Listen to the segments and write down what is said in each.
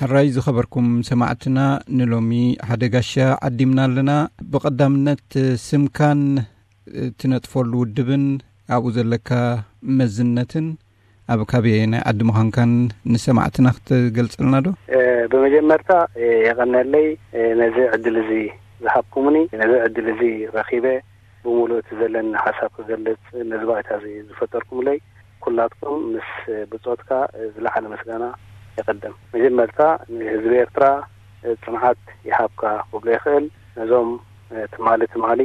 ሕራይ ዝኸበርኩም ሰማዕትና፣ ንሎሚ ሓደ ጋሻ ዓዲምና ኣለና። ብቐዳምነት ስምካን እትነጥፈሉ ውድብን ኣብኡ ዘለካ መዝነትን ኣብ ካበየናይ ዓዲ ምዃንካን ንሰማዕትና ክትገልጸልና ዶ? ብመጀመርታ የቐነለይ ነዚ ዕድል እዚ ዝሃብኩምኒ፣ ነዚ ዕድል እዚ ረኺበ ብምሉእ እቲ ዘለኒ ሓሳብ ክገልጽ ነዚ ባይታ እዚ ዝፈጠርኩምለይ ኩላትኩም ምስ ብጾትካ ዝለዓለ ምስጋና የቐድም። መጀመርታ ንህዝቢ ኤርትራ ጽንዓት ይሃብካ ክብሎ ይኽእል። ነዞም ትማሊ ትማሊ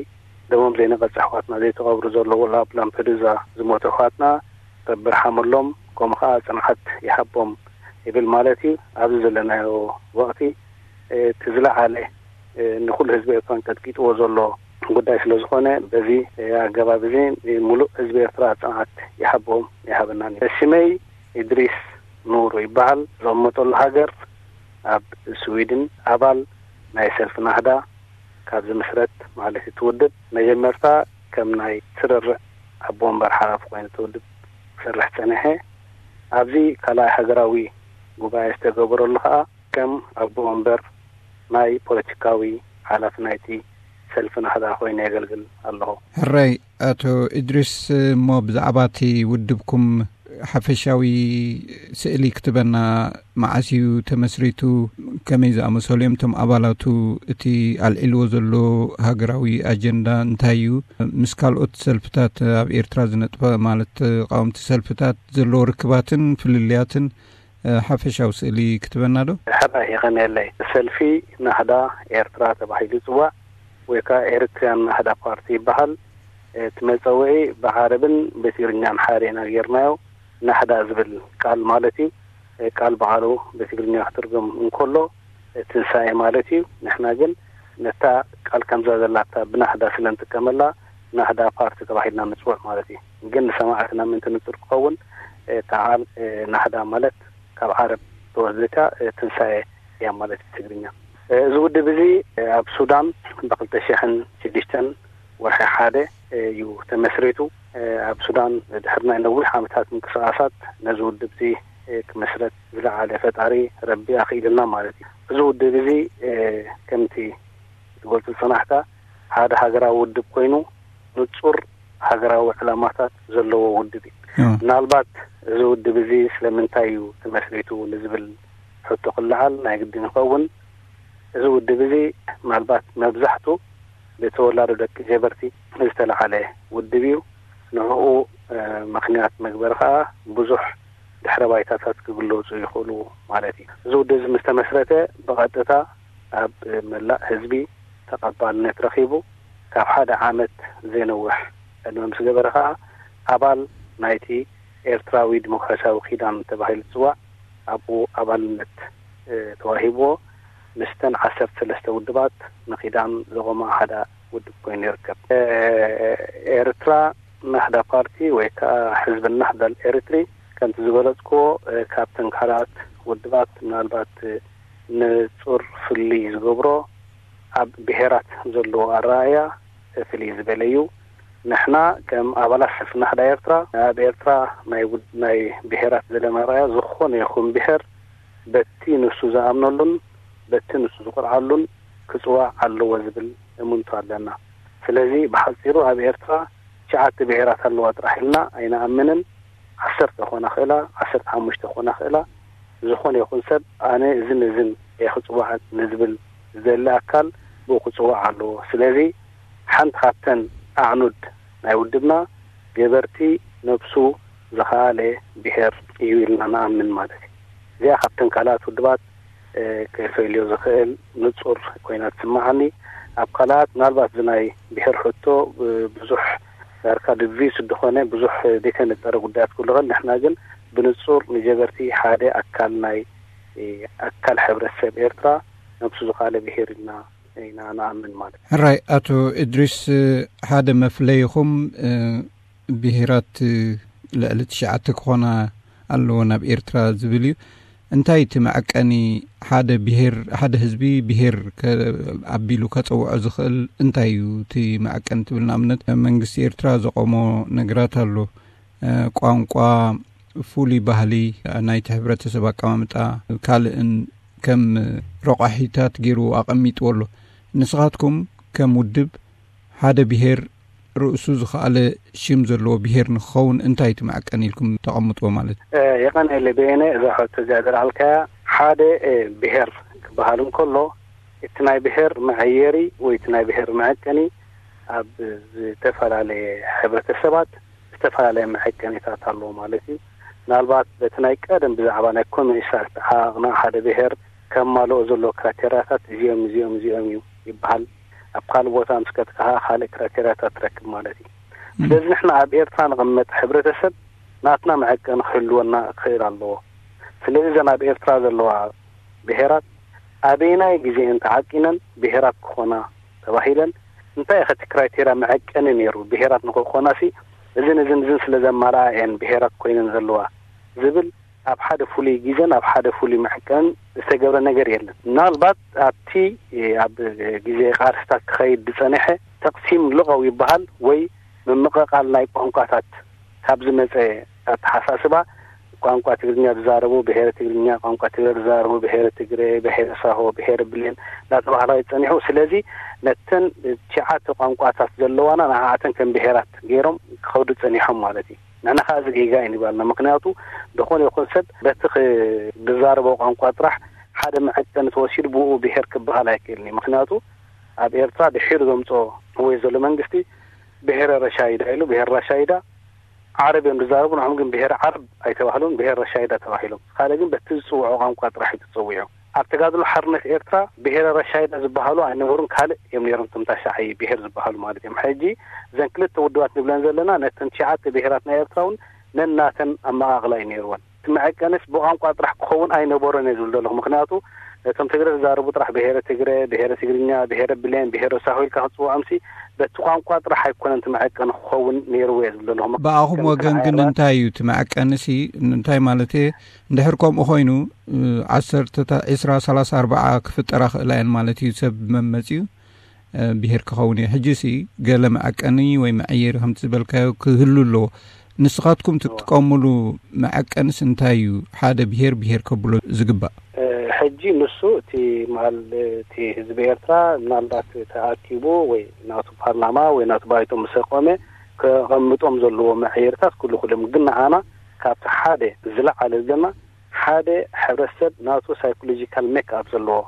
ደሞም ዘይነቐጽ ኣሕዋትና ዘይተቐብሩ ዘለዉ ኣብ ላምፐዱዛ ዝሞቱ ኣሕዋትና ረቢ ይርሓመሎም፣ ከምኡ ኸኣ ጽንዓት ይሃቦም ይብል ማለት እዩ። ኣብዚ ዘለናዮ ወቕቲ እቲ ዝለዓለ ንኹሉ ህዝቢ ኤርትራ ቀጥቂጥዎ ዘሎ ጉዳይ ስለ ዝኾነ በዚ ኣገባብ እዚ ሙሉእ ህዝቢ ኤርትራ ጽንዓት ይሃቦም ይሃበናን እዩ። ሽመይ ኢድሪስ ኑሩ ይበሃል። ዝቕመጠሉ ሃገር ኣብ ስዊድን። ኣባል ናይ ሰልፊ ናህዳ ካብ ዝምስረት ማለት እዩ። እቲ ውድብ መጀመርታ ከም ናይ ስርርዕ ኣቦ ወንበር ሓላፊ ኮይኑ እቲ ውድብ ክሰርሕ ጸኒሐ። ኣብዚ ካልኣይ ሃገራዊ ጉባኤ ዝተገበረሉ ኸኣ ከም ኣቦ ወንበር ናይ ፖለቲካዊ ሓላፊ ናይቲ ሰልፊ ናህዳ ኮይነ የገልግል ኣለኹ። ሕራይ ኣቶ ኢድሪስ፣ እሞ ብዛዕባ እቲ ውድብኩም ሓፈሻዊ ስእሊ ክትበና፣ መዓስ እዩ ተመስሪቱ? ከመይ ዝኣመሰሉ እዮም እቶም ኣባላቱ? እቲ ኣልዒልዎ ዘሎ ሃገራዊ ኣጀንዳ እንታይ እዩ? ምስ ካልኦት ሰልፍታት ኣብ ኤርትራ ዝነጥፈ፣ ማለት ተቃወምቲ ሰልፍታት ዘለዎ ርክባትን ፍልልያትን ሓፈሻዊ ስእሊ ክትበና ዶ? ሕራይ የቐንየለይ። ሰልፊ ናህዳ ኤርትራ ተባሂሉ ይጽዋዕ ወይ ከኣ ኤሪትሪያን ናህዳ ፓርቲ ይበሃል። እቲ መጸውዒ ብዓረብን ብትግርኛን ሓደ ኢና ጌርናዮ። ናህዳ ዝብል ቃል ማለት እዩ። ቃል በዓሉ ብትግርኛ ክትርጉም እንከሎ ትንሳኤ ማለት እዩ። ንሕና ግን ነታ ቃል ከምዛ ዘላታ ብናህዳ ስለ ንጥቀመላ ናህዳ ፓርቲ ተባሂልና ንጽውዕ ማለት እዩ። ግን ንሰማዕትና ምእንቲ ንጹር ክኸውን፣ ተዓል ናህዳ ማለት ካብ ዓረብ ተወስደታ ትንሳኤ እያ ማለት እዩ ትግርኛ። እዚ ውድብ እዚ ኣብ ሱዳን ብኽልተ ሽሕን ሽዱሽተን ወርሒ ሓደ እዩ ተመስሪቱ። ኣብ ሱዳን ድሕሪ ናይ ነዊሕ ዓመታት ምንቅስቓሳት ነዚ ውድብ እዚ ክመስረት ዝለዓለ ፈጣሪ ረቢ ኣኽኢሉና ማለት እዩ። እዚ ውድብ እዚ ከምቲ ትገልጹ ዝጸናሕካ ሓደ ሃገራዊ ውድብ ኮይኑ ንጹር ሃገራዊ ዕላማታት ዘለዎ ውድብ እዩ። ምናልባት እዚ ውድብ እዚ ስለምንታይ እዩ ተመስሪቱ ንዝብል ሕቶ ክለዓል ናይ ግድን ይኸውን። እዚ ውድብ እዚ ምናልባት መብዛሕቱ ብተወላዶ ደቂ ጀበርቲ ዝተለዓለ ውድብ እዩ። ንዕኡ ምኽንያት መግበሪ ከኣ ብዙሕ ድሕረ ባይታታት ክግለጹ ይኽእሉ ማለት እዩ። እዚ ውድብ እዚ ምስ ተመስረተ ብቐጥታ ኣብ መላእ ህዝቢ ተቐባልነት ረኺቡ ካብ ሓደ ዓመት ዘይነውሕ ዕድመ ምስ ገበረ ከኣ ኣባል ናይቲ ኤርትራዊ ዲሞክራሲያዊ ኪዳን ተባሂሉ ዝጽዋዕ ኣብኡ ኣባልነት ተዋሂብዎ። ምስተን ዓሰርተ ሰለስተ ውድባት ንኪዳን ዘቖማ ሓደ ውድብ ኮይኑ ይርከብ። ኤርትራ ናህዳ ፓርቲ ወይ ከዓ ሕዝቢ ናህዳ ኤሪትሪ ከምቲ ዝገለጽክዎ ካብተን ካልኣት ውድባት ምናልባት ንጹር ፍልይ ዝገብሮ ኣብ ብሄራት ዘለዎ ኣረኣእያ ፍልይ ዝበለ እዩ። ንሕና ከም ኣባላት ሰልፊ ናህዳ ኤርትራ ኣብ ኤርትራ ናይ ውድ- ናይ ብሄራት ዘለና ኣረኣእያ ዝኾነ ይኹን ብሄር በቲ ንሱ ዝኣምነሉን በቲ ንሱ ዝኮርዓሉን ክጽዋዕ ኣለዎ ዝብል እምንቶ ኣለና። ስለዚ ብሓጺሩ ኣብ ኤርትራ ትሽዓተ ብሄራት ኣለዋ ጥራሕ ኢልና ኣይንኣምንን። ዓሰርተ ኮና ክእላ፣ ዓሰርተ ሓሙሽተ ኮና ክእላ፣ ዝኾነ ይኹን ሰብ ኣነ እዝን እዝን እየ ክጽዋዕ ንዝብል ዝደሊ ኣካል ብኡ ክጽዋዕ ኣለዎ። ስለዚ ሓንቲ ካብተን ኣዕኑድ ናይ ውድብና ገበርቲ ነብሱ ዝኸኣለ ብሄር እዩ ኢልና ንኣምን ማለት እዩ። እዚኣ ካብተን ካልኣት ውድባት ከፈልዮ ዝኽእል ንጹር ኮይና ትስምዓኒ። ኣብ ካልኣት ምናልባት እዚ ናይ ብሄር ሕቶ ብዙሕ ዳርካ ድቪስ ዝኾነ ብዙሕ ዘይተነጸረ ጉዳያት ክህሉ ይኽእል። ንሕና ግን ብንጹር ንጀበርቲ ሓደ ኣካል ናይ ኣካል ሕብረተሰብ ኤርትራ ነብሱ ዝኸኣለ ብሄር ኢልና ኢና ንኣምን ማለት እዩ። ሕራይ ኣቶ እድሪስ፣ ሓደ መፍለይኹም ብሄራት ልዕሊ ትሽዓተ ክኾና ኣለዎ ናብ ኤርትራ ዝብል እዩ። እንታይ እቲ መዐቀኒ ሓደ ብሄር፣ ሓደ ህዝቢ ብሄር ከ- ኣቢሉ ከጸውዖ ዝኽእል እንታይ እዩ እቲ መዐቀኒ ትብል? ንኣብነት መንግስቲ ኤርትራ ዘቆሞ ነገራት ኣሎ። ቋንቋ፣ ፍሉይ ባህሊ ናይቲ ሕብረተሰብ ኣቀማምጣ፣ ካልእን ከም ረቋሒታት ገይሩ ኣቐሚጥዎ ኣሎ። ንስኻትኩም ከም ውድብ ሓደ ብሄር ርእሱ ዝኸኣለ ሽም ዘለዎ ብሄር ንክኸውን እንታይ ትመዐቀን ኢልኩም ተቐምጥዎ ማለት? የቐንየለ በየነ፣ እዛ ሕቶ እዚኣ ዘልዓልካያ፣ ሓደ ብሄር ክበሃል እንከሎ እቲ ናይ ብሄር መዐየሪ ወይ እቲ ናይ ብሄር መዐቀኒ ኣብ ዝተፈላለየ ሕብረተሰባት ዝተፈላለየ መዐቀኒታት ኣለዎ ማለት እዩ። ምናልባት በቲ ናይ ቀደም ብዛዕባ ናይ ኮሚኒስታት ዓቕና ሓደ ብሄር ከማልኦ ዘለዎ ክራቴርያታት እዚኦም እዚኦም እዚኦም እዩ ይበሃል። ኣብ ካልእ ቦታ ምስ ከትካ ካልእ ክራቴርያታት ትረክብ ማለት እዩ። ስለዚ ንሕና ኣብ ኤርትራ ንቕመጥ ሕብረተሰብ ናትና መዐቀኒ ክህልወና ክኽእል ኣለዎ። ስለዚ እዘን ኣብ ኤርትራ ዘለዋ ብሄራት ኣበየናይ ግዜ እየን ተዓቂነን ብሄራት ክኾና ተባሂለን፣ እንታይ ኢኸ እቲ ክራይቴርያ መዐቀኒ ነይሩ? ብሄራት ንክኾናሲ እዝን እዝን እዝን ስለ ዘማልኣ እየን ብሄራት ኮይነን ዘለዋ ዝብል ኣብ ሓደ ፍሉይ ግዜን ኣብ ሓደ ፍሉይ መዐቀንን ዝተገብረ ነገር የለን። ምናልባት ኣብቲ ኣብ ግዜ ቃርስታት ክኸይድ ዝጸንሐ ተቕሲም ልቐው ይበሃል ወይ ምምቕቓል ናይ ቋንቋታት ካብ ዝመጸ ኣተሓሳስባ፣ ቋንቋ ትግርኛ ዝዛረቡ ብሄረ ትግርኛ፣ ቋንቋ ትግረ ዝዛረቡ ብሄረ ትግረ፣ ብሄረ ሳሆ፣ ብሄረ ብሌን እናተባህለ እዩ ጸኒሑ። ስለዚ ነተን ትሽዓተ ቋንቋታት ዘለዋና ንዓኣተን ከም ብሄራት ገይሮም ክኸዱ ጸኒሖም ማለት እዩ። ንሕና ከዓ እዚ ጌጋ እዩ ንባልና። ምክንያቱ ዝኾነ ይኹን ሰብ በቲ ክ-፣ ዝዛረቦ ቋንቋ ጥራሕ ሓደ መዐቀኒ ተወሲዱ ብኡ ብሄር ክበሃል ኣይክእልን እዩ። ምክንያቱ ኣብ ኤርትራ ድሒሩ ዘምጾ ወይ ዘሎ መንግስቲ ብሄረ ረሻይዳ ኢሉ፣ ብሄር ራሻይዳ ዓረብ እዮም ዝዛረቡ፣ ንዖም ግን ብሄር ዓረብ ኣይተባህሉን፣ ብሄር ረሻይዳ ተባሂሎም። ካልእ ግን በቲ ዝጽውዖ ቋንቋ ጥራሕ እዩ ተጸዊዑ። ኣብ ተጋድሎ ሓርነት ኤርትራ ብሄረ ረሻይዳ ዝበሃሉ ኣይነበሩን፣ ካልእ እዮም ነይሮም። እቶም ታሻዓይ ብሄር ዝበሃሉ ማለት እዮም። ሕጂ እዘን ክልተ ውድባት ንብለን ዘለና ነተን ትሽዓተ ብሄራት ናይ ኤርትራ እውን ነናተን ኣመቓቕላ እዩ ነይርወን። እቲ መዐቀንስ ብቋንቋ ጥራሕ ክኸውን ኣይነበሮን እየ ዝብል ዘለኹ። ምክንያቱ ነቶም ትግረ ዝዛረቡ ጥራሕ ብሄረ ትግረ፣ ብሄረ ትግርኛ፣ ብሄረ ብሌን፣ ብሄረ ሳሆ ኢልካ ክትጽውዖምሲ በቲ ቋንቋ ጥራሕ ኣይኮነን እቲ መዐቀኒ ክኸውን ነይርዎ እየ ዝብል ዘለኹ። ብኣኹም ከም ወገን ግን ተዓይራት እንታይ እዩ እቲ መዐቀንሲ? እንታይ ማለት እየ? እንድሕር ከምኡ ኮይኑ፣ እ፣ ዓሰርተ፣ ዕስራ፣ ሰላሳ፣ ኣርባዓ ክፍጠራ ክእላ እየን ማለት እዩ። ሰብ መመጺኡ፣ እ፣ ብሄር ክኸውን እዩ። ሕጂሲ ገለ መዐቀኒ ወይ መዐየሪ ከምቲ ዝበልካዮ ክህሉ ኣለዎ። ንስኻትኩም ትጥቀሙሉ መዐቀንስ እንታይ እዩ? ሓደ ብሄር ብሄር ከብሎ ዝግባእ? እ፣ ሕጂ ንሱ እቲ ማል-፣ እቲ ህዝቢ ኤርትራ ምናልባት ተኣኪቡ ወይ ናቱ ፓርላማ ወይ ናቱ ባይቶ ምስ ኣቆመ ከቐምጦም ዘለዎ መዐየርታት ኩሉ ኩሎም፣ ግን ንዓና ካብቲ ሓደ ዝለዓለ ዘለና ሓደ ሕብረተሰብ ናቱ ሳይኮሎጂካል ሜክ ኣፕ ዘለዎ፣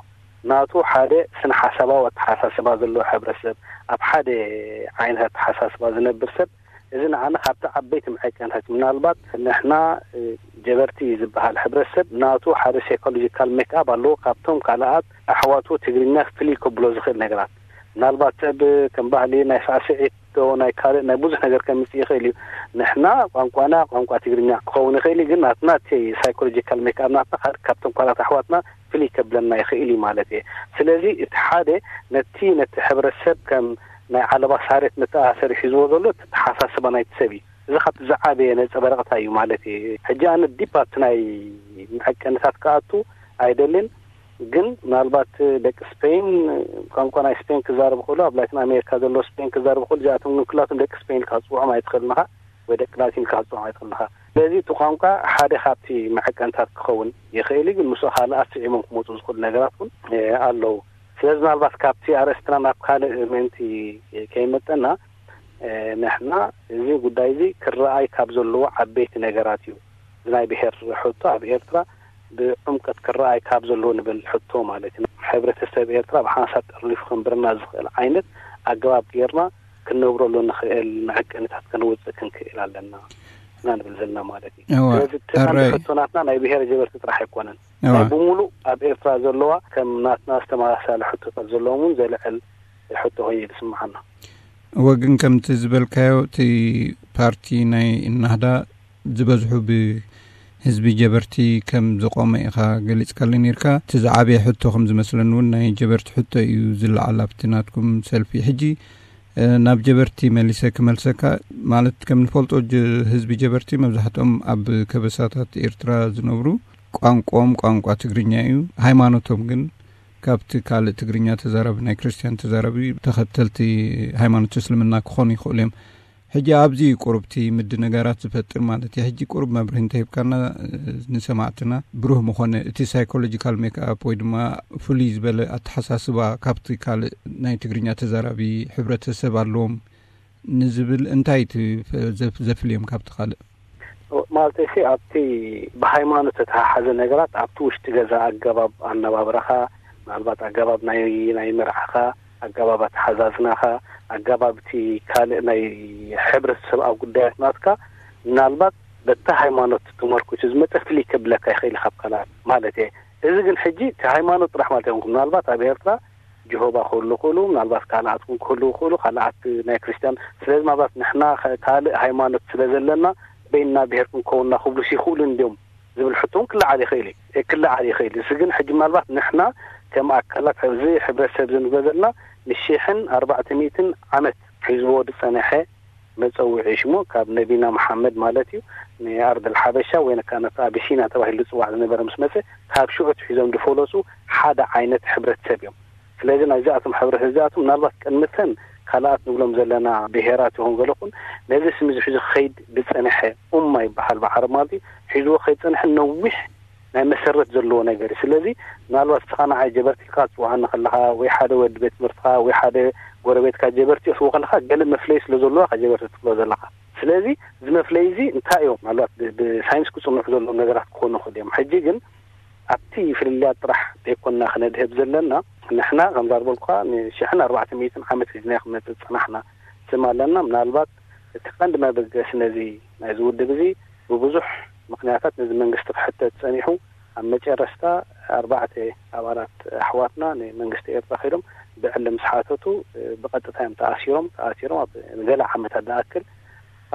ናቱ ሓደ ስነ ሓሳባዊ ኣተሓሳስባ ዘለዎ ሕብረተሰብ፣ ኣብ ሓደ ዓይነት ኣተሓሳስባ ዝነብር ሰብ፣ እዚ ንዓና ካብቲ ዓበይቲ መዐቀንታት። ምናልባት ንሕና፣ እ፣ ጀበርቲ ዝበሃል ሕብረተሰብ ናቱ ሓደ ሳይኮሎጂካል ሜክ ኣፕ ኣለዎ፣ ካብቶም ካልኣት ኣሕዋቱ ትግርኛ ፍልይ ከብሎ ዝኽእል ነገራት። ምናልባት ሰብ ከም ባህሊ ናይ ሳዕስዒት ዶ ናይ ካልእ ናይ ብዙሕ ነገር ከምጽእ ይኽእል እዩ። ንሕና ቋንቋና ቋንቋ ትግርኛ ክኸውን ይኽእል እዩ፣ ግን ናትና እቲ ሳይኮሎጂካል ሜክ ኣፕ ናትና ካብ-፣ ካብቶም ካልኣት ኣሕዋትና ፍልይ ከብለና ይኽእል እዩ ማለት እየ። ስለዚ እቲ ሓደ ነቲ፣ ነቲ ሕብረተሰብ ከም ናይ ዓለባ ሳሬት መተኣሳሰሪ ሒዝዎ ዘሎ እቲ ተሓሳስባ ናይቲ ሰብ እዩ። እዚ ካብቲ ዝዓበየ ነንጸባረቕታ እዩ ማለት እየ። ሕጂ ኣነ ዲፕ ኣብቲ ናይ መዐቀንታት ክኣቱ ኣይደልን፣ ግን ምናልባት ደቂ ስፔን ቋንቋ ናይ ስፔን ክዛረቡ ከሎ፣ ኣብ ላቲን ኣሜሪካ ዘሎ ስፔን ክዛረቡ ከሎ፣ እዚኣቶም ግን ኩላቶም ደቂ ስፔን ኢልካ ክትጽውዖም ኣይትኽእልን ኢኻ፣ ወይ ደቂ ላቲን ኢልካ ክትጽውዖም ኣይትኽእልን ኢኻ። ስለዚ እቲ ቋንቋ ሓደ ካብቲ መዐቀንታት ክኸውን ይኽእል እዩ፣ ግን ምስኡ ካልእ ኣስዒቦም ክመጹ ዝኽእሉ ነገራት እውን፣ እ፣ ኣለዉ። ስለዚ ምናልባት ካብቲ ኣርእስትና ናብ ካልእ ምእንቲ ከይመጠና፣ እ፣ ንሕና እዚ ጉዳይ እዚ ክረኣይ ካብ ዘለዎ ዓበይቲ ነገራት እዩ። እዚ ናይ ብሄር ሕቶ ኣብ ኤርትራ ብዕምቀት ክረኣይ ካብ ዘለዎ ንብል ሕቶ ማለት እዩ። ሕብረተሰብ ኤርትራ ብሓንሳብ ጠርኒፉ ከንብረና ዝኽእል ዓይነት ኣገባብ ጌርና ክንነብረሉ ንኽእል መዐቀኒታት ከነውጽእ ክንክእል ኣለና ኢና ንብል ዘለና ማለት እዩ። እወ፣ ስለዚ እቲ ቀንዲ ሕቶ ናትና ናይ ብሄር ጀበርቲ ጥራሕ ኣይኮነን። እወ። ናይ ብምሉእ ኣብ ኤርትራ ዘለዋ ከም ናትና ዝተመሳሳለ ሕቶታት ዘለዎም እውን ዘልዕል ሕቶ ኮይኑ ዝስምዓና። እወ፣ ግን ከምቲ ዝበልካዮ እቲ ፓርቲ ናይ እናህዳ ዝበዝሑ ብህዝቢ ጀበርቲ ከም ዝቆመ ኢኻ ገሊጽካለይ ነይርካ። እቲ ዝዓበየ ሕቶ ከም ዝመስለኒ እውን ናይ ጀበርቲ ሕቶ እዩ ዝለዓል ኣብቲ ናትኩም ሰልፊ። ሕጂ፣ እ፣ ናብ ጀበርቲ መሊሰ ክመልሰካ፣ ማለት ከም ንፈልጦ ጀ-፣ ህዝቢ ጀበርቲ መብዛሕትኦም ኣብ ከበሳታት ኤርትራ ዝነብሩ፣ ቋንቋኦም ቋንቋ ትግርኛ እዩ። ሃይማኖቶም ግን ካብቲ ካልእ ትግርኛ ተዛራቢ፣ ናይ ክርስትያን ተዛራቢ፣ ተኸተልቲ ሃይማኖት እስልምና ክኾኑ ይኽእሉ እዮም። ሕጂ ኣብዚ ቁሩብቲ ምድንጋራት ዝፈጥር ማለት እዩ። ሕጂ ቁሩብ መብርሂ እንተሂብካና፣ እ፣ ንሰማዕትና ብሩህ ምኾነ፣ እቲ ሳይኮሎጂካል ሜክኣፕ ወይ ድማ ፍሉይ ዝበለ ኣተሓሳስባ ካብቲ ካልእ ናይ ትግርኛ ተዛራቢ ሕብረተሰብ ኣለዎም ንዝብል እንታይ እቲ ፈ-፣ ዘፍ-፣ ዘፍልዮም ካብቲ ካልእ? ማለት እሺ፣ ኣብቲ ብሃይማኖት ዝተተሓሓዘ ነገራት ኣብቲ ውሽጢ ገዛ ኣገባብ ኣነባብራኻ፣ ምናልባት ኣገባብ ናይ፣ ናይ መርዓኻ፣ ኣገባብ ኣተሓዛዝናኻ፣ ኣገባብ እቲ ካልእ ናይ ሕብረተሰብ ኣብ ጉዳያት ናትካ፣ ምናልባት በታ ሃይማኖት ተመርኩሱ ዝመጸ ፍልይ ከብለካ ይኽእል እዩ ካብ ካልኣት ማለት እየ። እዚ ግን ሕጂ እቲ ሃይማኖት ጥራሕ ማለት ኣይኮንኩን። ምናልባት ኣብ ኤርትራ ጀሆባ ክህሉ ይኽእሉ፣ ምናልባት ካልኣት እውን ክህሉ ይኽእሉ፣ ካልኣት ናይ ክርስትያን። ስለዚ ምናልባት ንሕና ከ-፣ ካልእ ሃይማኖት ስለ ዘለና በይንና ብሄር ክንከውን ኢና ክብሉስ ይኽእሉ እንድዮም ዝብል ሕቶ እውን ክለዓል ይኽእል እዩ፣ እ፣ ክለዓል ይኽእል እዩ። እዚ ግን ሕጂ ምናልባት ንሕና ከም ኣካላት እዚ ሕብረተሰብ እዚ ንብሎ ዘለና ንሽሕን ኣርባዕተ ሚእትን ዓመት ሒዝዎ ዝጸንሐ መጸውዒ ሽሙ ካብ ነቢና መሓመድ ማለት እዩ፣ ንኣርድ ኣልሓበሻ ወይ ከኣ ነቲ ኣቢሲና ተባሂሉ ዝጽዋዕ ዝነበረ ምስ መጸ፣ ካብ ሽዑ ኣትሒዞም ዝፈለሱ ሓደ ዓይነት ሕብረተሰብ እዮም። ስለዚ ናይዚኣቶም ሕብረት እዚኣቶም ምናልባት ቅድምተን ካልኣት ንብሎም ዘለና ብሄራት ይኹን ገለኹን ነዚ ስም እዚ ሒዙ ክኸይድ ዝጸንሐ ኡማ ይበሃል ብዓረብ ማለት እዩ። ሒዝዎ ክኸይድ ዝጸንሐ ነዊሕ ናይ መሰረት ዘለዎ ነገር እዩ። ስለዚ ምናልባት ንስኻ ንዓይ ጀበርቲ ኢልካ ትጽውዓኒ ከለኻ ወይ ሓደ ወዲ ቤት ትምህርትኻ ወይ ሓደ ጎረቤትካ ጀበርቲ ክትብሎ ከለኻ ገለ መፍለዪ ስለ ዘለዋ ኢኻ ጀበርቲ ትብሎ ዘለኻ። ስለዚ እዚ መፍለዪ እዚ እንታይ እዮም? ምናልባት ብ-፣ ብሳይንስ ክጽንሑ ዘለዎም ነገራት ክኾኑ ይኽእሉ እዮም። ሕጂ ግን ኣብቲ ፍልልያት ጥራሕ ዘይኮንና ክነድህብ ዘለና። ንሕና ከምዛ ዝበልኩኻ ንሽሕን ኣርባዕተ ሚእትን ዓመት ሒዝና ክመጽእ ዝጸናሕና ስም ኣለና። ምናልባት እቲ ቀንዲ መበገሲ ነዚ ናይዚ ውድብ እዚ ብብዙሕ ምኽንያታት ነዚ መንግስቲ ክሕተት ጸኒሑ፣ ኣብ መጨረሽታ ኣርባዕተ ኣባላት ኣሕዋትና ንመንግስቲ ኤርትራ ከይዶም ብዕሊ ምስ ሓተቱ፣ ብቐጥታ እዮም ተኣሲሮም። ተኣሲሮም ኣብ ገለ ዓመታት ዝኣክል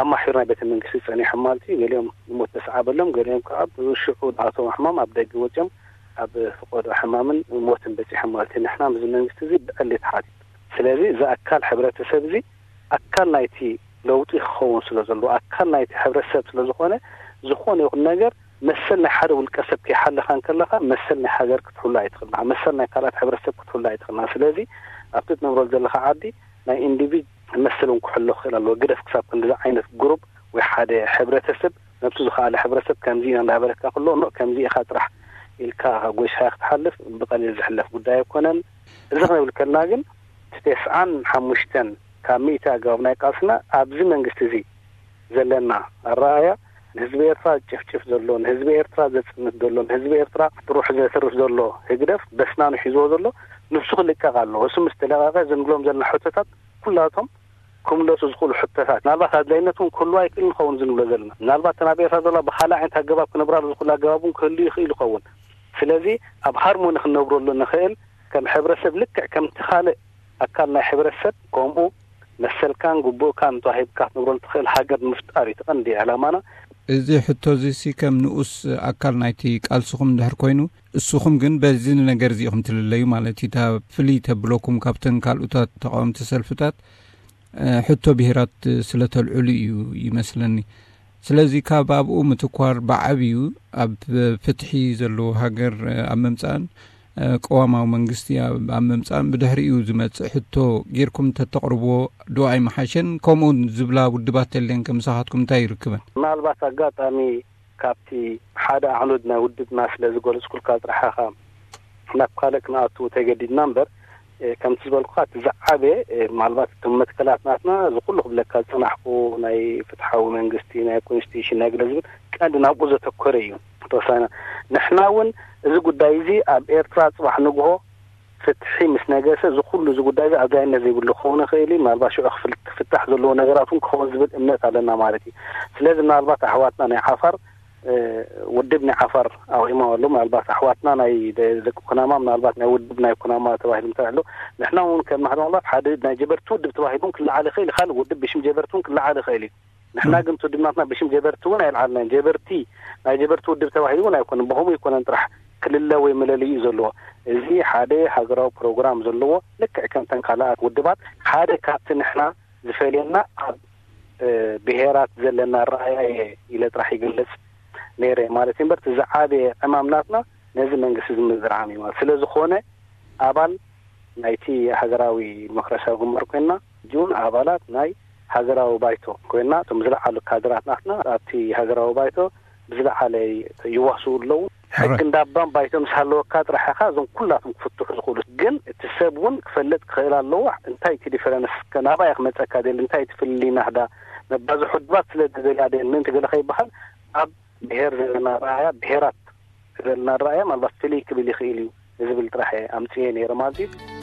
ኣብ ማሕዩር ናይ ቤተ መንግስቲ ጸኒሖም ማለት እዩ። ገሊኦም ንሞት ተሰዓበሎም፣ ገሊኦም ከዓ ብሽዑ ዝኣተዎም ሕማም ኣብ ደገ ወጺኦም ኣብ ፍቆዶ ሕማምን ሞትን በጺሖም ማለት እዩ። ንሕና ምስዚ መንግስቲ እዚ ብዕሊ ተሓቲቱ። ስለዚ እዚ ኣካል ሕብረተሰብ እዚ ኣካል ናይቲ ለውጢ ክኸውን ስለ ዘለዎ፣ ኣካል ናይቲ ሕብረተሰብ ስለ ዝኾነ፣ ዝኾነ ይኹን ነገር መሰል ናይ ሓደ ውልቀ ሰብ ከይሓለኻ እንከለኻ፣ መሰል ናይ ሃገር ክትሕሉ ኣይትኽእልና፣ መሰል ናይ ካልኣት ሕብረተሰብ ክትሕሉ ኣይትኽእልና። ስለዚ ኣብቲ ትነብረሉ ዘለኻ ዓዲ ናይ ኢንዲቪድ መሰል እውን ክሕሎ ክኽእል ኣለዎ። ግደፍ ክሳብ ክንዲዚ ዓይነት ግሩፕ ወይ ሓደ ሕብረተሰብ፣ ነብሱ ዝኸኣለ ሕብረተሰብ ከምዚ ኢና እንዳበለካ ከሎ፣ ኖ ከምዚ ኢኻ ጥራሕ ኢልካ ጎይስኻ ክትሓልፍ ብቐሊል ዝሕለፍ ጉዳይ ኣይኮነን። እዚ ክንብል ከለና ግን እቲ ተስዓን ሓሙሽተን ካብ ሚእቲ ኣገባብ ናይ ቃልስና ኣብዚ መንግስቲ እዚ ዘለና ኣረኣእያ ንህዝቢ ኤርትራ ዝጭፍጭፍ ዘሎ፣ ንህዝቢ ኤርትራ ዘጽንት ዘሎ፣ ንህዝቢ ኤርትራ ብሩሕ ዘትርፍ ዘሎ ህግደፍ በስናኑ ሒዝዎ ዘሎ ንሱ ክልቀቕ ኣለዎ። እሱ ምስ ተለቀቐ ዝንብሎም ዘለና ሕቶታት ኩላቶም ክምለሱ ዝኽእሉ ሕቶታት፣ ምናልባት ኣድላይነት እውን ክህልዋ ይክእል ንኸውን ዝንብሎ ዘለና። ምናልባት እተን ኣብ ኤርትራ ዘለዋ ብኻልእ ዓይነት ኣገባብ ክነብራሉ ዝኽእሉ ኣገባብ እውን ክህሉ ይኽእል ይኸውን። ስለዚ ኣብ ሃርሞኒ ክንነብረሉ ንኽእል ከም ሕብረተሰብ ልክዕ ከምቲ ካልእ ኣካል ናይ ሕብረተሰብ ከምኡ መሰልካን ግቡእካን ተዋሂብካ ክትነብረሉ ትኽእል ሃገር ንምፍጣር እዩ እቲ ቀንዲ ዕላማና። እዚ ሕቶ እዚ ሲ ከም ንኡስ ኣካል ናይቲ ቃልስኹም እንድሕር ኮይኑ፣ እስኹም ግን በዚ ነገር እዚ ኢኹም ትልለዩ ማለት እዩ። እታ ፍልይ ተብለኩም ካብተን ካልኦታት ተቃወምቲ ሰልፍታት፣ እ፣ ሕቶ ብሄራት ስለ ተልዕሉ እዩ ይመስለኒ። ስለዚ ካብ ኣብኡ ምትኳር ብዓብዩ ኣብ ፍትሒ ዘለዎ ሃገር፣ እ፣ ኣብ ምምጻእን፣ እ፣ ቅዋማዊ መንግስቲ ኣብ፣ ኣብ ምምጻእን ብድሕሪኡ ዝመጽእ ሕቶ ጌርኩም እንተተቕርብዎ ዶ ኣይምሓሸን? ከምኡ ዝብላ ውድባት ተልየን ከም ምሳኻትኩም እንታይ ይርክበን? ምናልባት ኣጋጣሚ ካብቲ ሓደ ኣዕኑድ ናይ ውድብና ስለ ዝገለጽኩልካ ጥራሕ ኢኻ ናብ ካልእ ክንኣቱ ተገዲድና እምበር፣ እ፣ ከምቲ ዝበልኩኻ እቲ ዝዓበየ፣ እ፣ ምናልባት እቶም መትከላት ናትና እዚ ኩሉ ክብለካ ዝጸናሕኩ ናይ ፍትሓዊ መንግስቲ፣ ናይ ኮንስቲቱሽን፣ ናይ ገለ ዝብል ቀንዲ ናብኡ ዘተኮረ እዩ። ተወሳኺና ንሕና እውን እዚ ጉዳይ እዚ ኣብ ኤርትራ ጽባሕ ንግሆ ፍትሒ ምስ ነገሰ እዚ ኩሉ እዚ ጉዳይ እዚ ኣድላይነት ዘይብሉ ክኸውን ይኽእል እዩ። ምናልባት ሽዑ ክፍል-፣ ክፍታሕ ዘለዎ ነገራት እውን ክኸውን ዝብል እምነት ኣለና ማለት እዩ። ስለዚ ምናልባት ኣሕዋትና ናይ ዓፋር፣ እ፣ ውድብ ናይ ዓፋር ኣቑሞም ኣለዉ። ምናልባት ኣሕዋትና ናይ ደ-፣ ደቂ ኩናማ ምናልባት ናይ ውድብ ናይ ኩናማ ተባሂሉ እንተልዕሉ፣ ንሕና እውን ከም ማሕበር ምናልባት ሓደ ናይ ጀበርቲ ውድብ ተባሂሉ እውን ክለዓል ይኽእል እዩ። ካልእ ውድብ ብሽም ጀበርቲ እውን ክለዓል ይኽእል እዩ። ንሕና ግን እቲ ውድብ ናትና ብሽም ጀበርቲ እውን ኣይለዓልናን። ጀበርቲ፣ ናይ ጀበርቲ ውድብ ተባሂሉ እውን ኣይኮነን። ብኸምኡ ኣይኮነን ጥራሕ ክልለ ወይ መለለዪ እዩ ዘለዎ። እዚ ሓደ ሃገራዊ ፕሮግራም ዘለዎ፣ ልክዕ ከምተን ካልኣት ውድባት ሓደ ካብቲ ንሕና ዝፈልየና ኣብ፣ እ፣ ብሄራት ዘለና ኣረኣእያ እየ ኢለ ጥራሕ ይገልጽ ነይረ ማለት እዩ። እምበር እቲ ዝዓበየ ዕማም ናትና ነዚ መንግስቲ እዚ ምዝርዓም እዩ ማለት። ስለ ዝኾነ ኣባል ናይቲ ሃገራዊ ዲሞክራሲያዊ ግንባር ኮይንና፣ ሕጂ እውን ኣባላት ናይ ሃገራዊ ባይቶ ኮይና፣ እቶም ዝለዓሉ ካድራት ናትና ኣብቲ ሃገራዊ ባይቶ ብዝለዓለ ይዋስኡ ኣለዉ። ሕጂ እንዳባን ባይቶ ምስ ሃለወካ ጥራሕ ኢኻ እዞም ኩላቶም ክፍትሑ ዝኽእሉ። ግን እቲ ሰብ እውን ክፈልጥ ክኽእል ኣለዎ። እንታይ እቲ ዲፈረንስ ናባይ ክመፀካ ደል እንታይ እቲ ፍልልይ ናህዳ መባዝሑ ድባት ስለ ዝደልያ ደል ምእንቲ ገለ ከይበሃል ኣብ ብሄር ዘለና ረኣያ ብሄራት ዘለና ረኣያ ምናልባት ፍልይ ክብል ይኽእል እዩ ዝብል ጥራሕ ኣምፅኤ ነይረ ማለት እዩ።